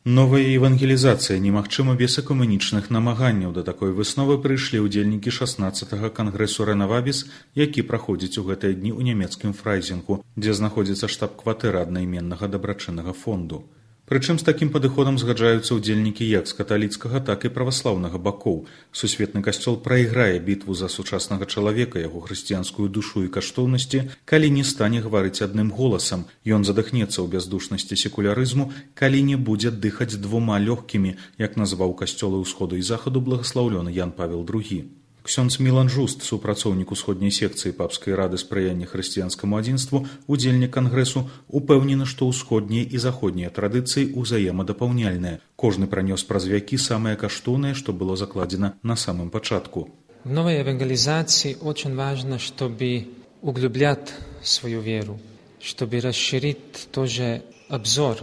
Новая евангелізацыя немагчыма без экуменічных намаганняў. Да такой высновы прыйшлі ўдзельнікі 16-га кангрэсу Рэнавабіс, які праходзіць у гэтыя дні ў нямецкім Фрайзінгу, дзе знаходзіцца штаб-кватэра аднайменнага дабрачыннага фонду. Прычым з такім падыходам згаджаюцца ўдзельнікі як з каталіцкага, так і праваслаўнага бакоў. Сусветны касцёл прайграе бітву за сучаснага чалавека, яго хрысціянскую душу і каштоўнасці, калі не стане гаварыць адным голасам. Ён задыхнецца ў бяздушнасці секулярызму, калі не будзе дыхаць двума лёгкімі, як назваў касцёлы ўсходу і захаду благаслаўлёны Ян Павел II. Ксёндз Мілан Жуст, супрацоўнік усходняй секцыі папскай рады спрыяння хрысціянскаму адзінству, удзельнік кангрэсу, упэўнены, што ўсходнія і заходнія традыцыі ўзаемадапаўняльныя. Кожны пранёс праз вякі самае каштоўнае, што было закладзена на самым пачатку. В новой евангелизации очень важно, чтобы углублять свою веру, чтобы расширить тоже обзор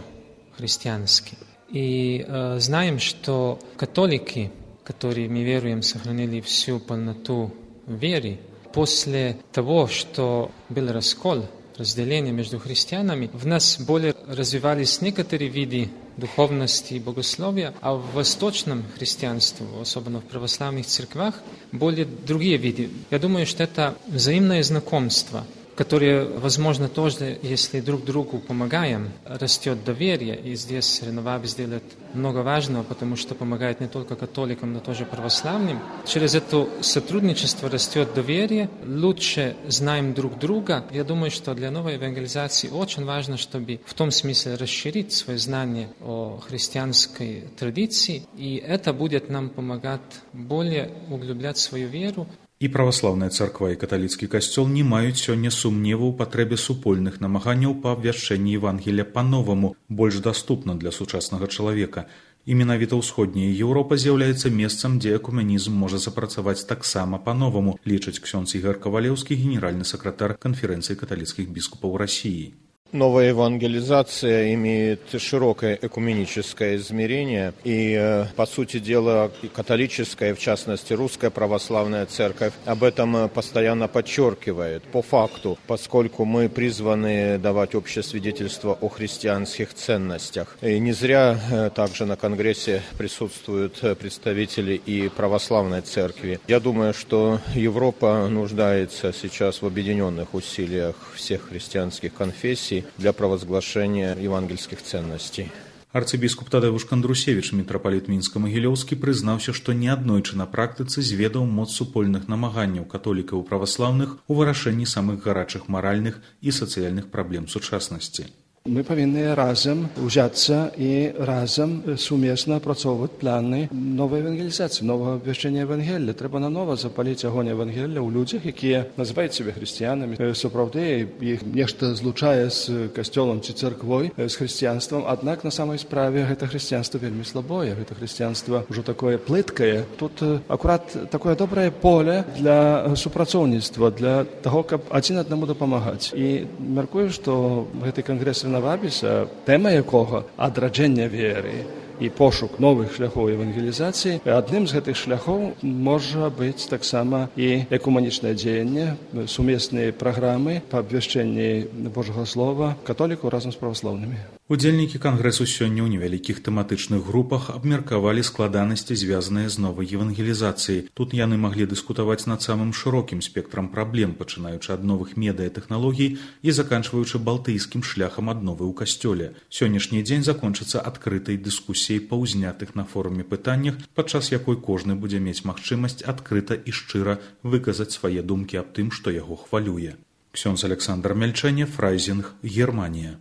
христианский. И знаем, что католики, которые, мы веруем, сохранили всю полноту веры, после того, что был раскол, разделение между христианами, в нас более развивались некоторые виды духовности и богословия, а в восточном христианстве, особенно в православных церквах, более другие виды. Я думаю, что это взаимное знакомство, которые, возможно, тоже, если друг другу помогаем, растет доверие. И здесь Рэнавабис делает много важного, потому что помогает не только католикам, но тоже православным. Через это сотрудничество растет доверие, лучше знаем друг друга. Я думаю, что для новой евангелизации очень важно, чтобы в том смысле расширить свое знание о христианской традиции, и это будет нам помогать более углублять свою веру. І праваслаўная царква і каталіцкі касцёл не маюць сёння сумневу ў патрэбе супольных намаганняў па абвяшчэнні Евангелія па-новаму, больш даступна для сучаснага чалавека. І менавіта ўсходняя Еўропа з'яўляецца месцам, дзе экуменізм можа запрацаваць таксама па-новаму, лічыць ксёндз Ігар Кавалеўскі, генеральны сакратар Канферэнцыі каталіцкіх біскупаў России. Новая евангелизация имеет широкое экуменическое измерение, и, по сути дела, католическая, в частности, русская православная церковь об этом постоянно подчеркивает, по факту, поскольку мы призваны давать общее свидетельство о христианских ценностях. И не зря также на Конгрессе присутствуют представители и православной церкви. Я думаю, что Европа нуждается сейчас в объединенных усилиях всех христианских конфессий для провозглашения евангельских ценностей. Арцыбіскуп Тадэвуш Кандрусевіч, мітрапаліт Мінска-Магілёўскі, прызнаўся, што неаднойчы на практыцы зведаў моц супольных намаганняў католікаў і праваслаўных у вырашэнні самых гарачых маральных і сацыяльных праблем сучаснасці. Мы повинны разом взяться и разом сумесно опрацовывать планы новой евангелизации, нового обвящения Евангелия. Треба наново запалить огонь Евангелия у людях, які називають себе християнами. Соправді, їх нечто злучає з костюлом чи церквою, з християнством. Однак, на самой справе, это християнство вельми слабое, это християнство уже такое плыткое. Тут аккурат такое доброе поле для супрацовництва, для того, как один одному допомагать. И меркую, что в этой конгрессе Рэнавабіса, тема якого адраджэння веры і пошук новых шляхоў евангелізацыі, адным з гэтых шляхоў можа быць таксама і экуманічнае дзеянне, сумесныя праграмы па абвяшчэнні Божага Слова католікаў разам з праваслаўнымі. Удзельнікі кангрэсу сёння ў невялікіх тэматычных групах абмеркавалі складанасці, звязаныя з новай евангелізацыяй. Тут яны маглі дыскутаваць над самым шырокім спектрам праблем, пачынаючы ад новых медыатэхналогій і заканчваючы балтыйскім шляхам адновы ў касцёле. Сённяшні дзень закончыцца адкрытай дыскусіяй па ўзнятых на форуме пытаннях, падчас якой кожны будзе мець магчымасць адкрыта і шчыра выказаць свае думкі аб тым, што яго хвалюе. Ксёндз Александр Мельчане, Фрайзінг, Германія.